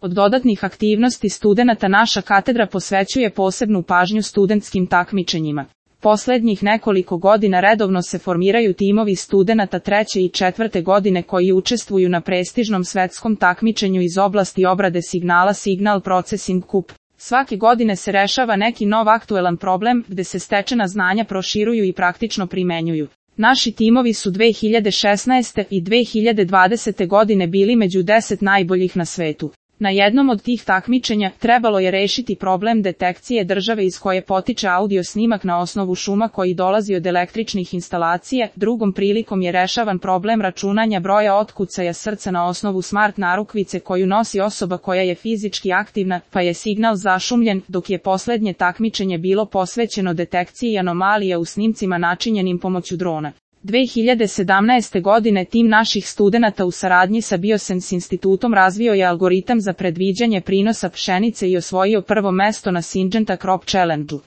Od dodatnih aktivnosti studenata naša katedra posvećuje posebnu pažnju studentskim takmičenjima. Poslednjih nekoliko godina redovno se formiraju timovi studenata 3. i 4. godine koji učestvuju na prestižnom svetskom takmičenju iz oblasti obrade signala Signal Processing CUP. Svake godine se rešava neki nov aktuelan problem gde se stečena znanja proširuju i praktično primenjuju. Naši timovi su 2016. i 2020. godine bili među 10 najboljih na svetu. Na jednom od tih takmičenja trebalo je rešiti problem detekcije države iz koje potiče audio snimak na osnovu šuma koji dolazi od električnih instalacija, drugom prilikom je rešavan problem računanja broja otkucaja srca na osnovu smart narukvice koju nosi osoba koja je fizički aktivna, pa je signal zašumljen, dok je poslednje takmičenje bilo posvećeno detekciji anomalija u snimcima načinjenim pomoću drona. 2017. godine tim naših studenata u saradnji sa Biosense institutom razvio je algoritam za predviđanje prinosa pšenice i osvojio prvo mesto na Syngenta Crop Challenge-u.